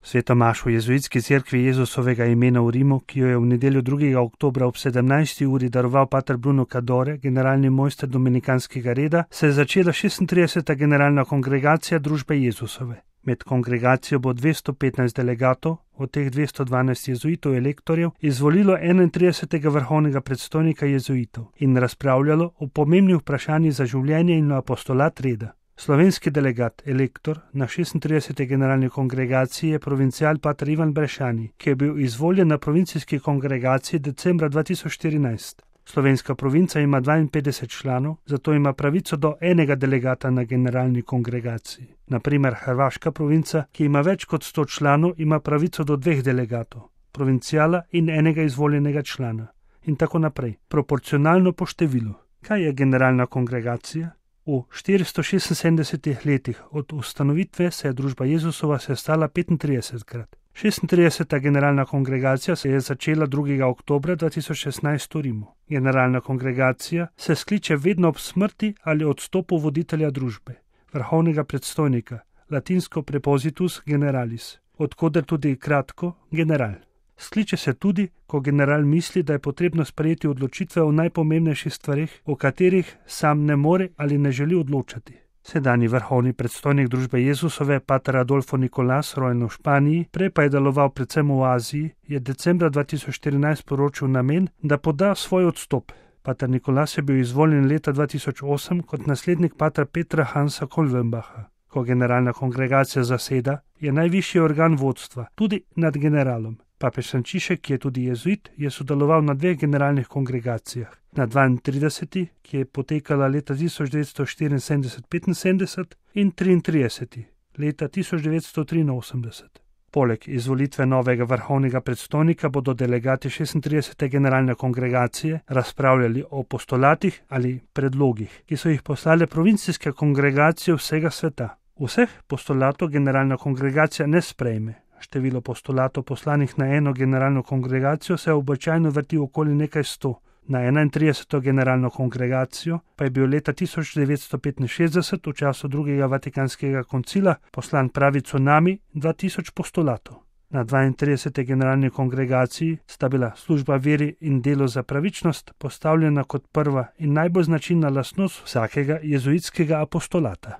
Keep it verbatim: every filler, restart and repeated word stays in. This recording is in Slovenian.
Sveto mašo v jezuitski cerkvi Jezusovega imena v Rimu, ki jo je v nedeljo drugega oktobra ob sedemnajsti uri daroval pater Bruno Cadore, generalni mojster dominikanskega reda, se je začela šestintrideseta generalna kongregacija družbe Jezusove. Med kongregacijo bo dvesto petnajst delegatov, od teh dvesto dvanajst jezuitov elektorjev, izvolilo enaintridesetega vrhovnega predstojnika jezuitov in razpravljalo o pomembnih vprašanjih za življenje in apostolat reda. Slovenski delegat, elektor, na šestintrideseti generalni kongregaciji je provincial pater Ivan Brešani, ki je bil izvoljen na provincijski kongregaciji decembra dva tisoč štirinajst. Slovenska provinca ima dvainpetdeset članov, zato ima pravico do enega delegata na generalni kongregaciji. Naprimer, hrvaška provinca, ki ima več kot sto članov, ima pravico do dveh delegatov, provinciala in enega izvoljenega člana. In tako naprej, proporcionalno po številu. Kaj je generalna kongregacija? V štiristo šestinsedemdesetih letih od ustanovitve se je družba Jezusova sestala petintridesetkrat. šestintrideseta generalna kongregacija se je začela drugega oktobra dva tisoč šestnajst v Rimu. Generalna kongregacija se skliče vedno ob smrti ali odstopu voditelja družbe, vrhovnega predstojnika, latinsko prepositus generalis, odkoder tudi kratko general. Skliče se tudi, ko general misli, da je potrebno sprejeti odločitve o najpomembnejših stvareh, o katerih sam ne more ali ne želi odločati. Sedanji vrhovni predstojnik družbe Jezusove, pater Adolfo Nicolas, rojen v Španiji, prej pa je deloval predvsem v Aziji, je decembra dva tisoč štirinajst poročil namen, da poda svoj odstop. Pater Nicolas je bil izvoljen leta dva tisoč osem kot naslednik pater Petra Hansa Kolvenbacha. Ko generalna kongregacija zaseda, je najvišji organ vodstva, tudi nad generalom. Papež Frančišek, ki je tudi jezuit, je sodeloval na dveh generalnih kongregacijah. Na dvaintrideseti, ki je potekala leta tisoč devetsto štiriinsedemdeset petinsedemdeset, in triintrideseti, leta tisoč devetsto triinosemdeset. Poleg izvolitve novega vrhovnega predstojnika bodo delegati šestintridesete generalne kongregacije razpravljali o postulatih ali predlogih, ki so jih poslale provincijske kongregacije vsega sveta. Vseh postulatov generalna kongregacija ne sprejme. Število postulatov poslanih na eno generalno kongregacijo se običajno vrti okoli nekaj sto. Na enaintrideseto generalno kongregacijo pa je bil leta tisoč devetsto petinšestdeset v času drugega vatikanskega koncila poslan pravi cunami dva tisoč postulatov. Na dvaintrideseti generalni kongregaciji sta bila služba veri in delo za pravičnost postavljena kot prva in najbolj značilna lastnost vsakega jezuitskega apostolata.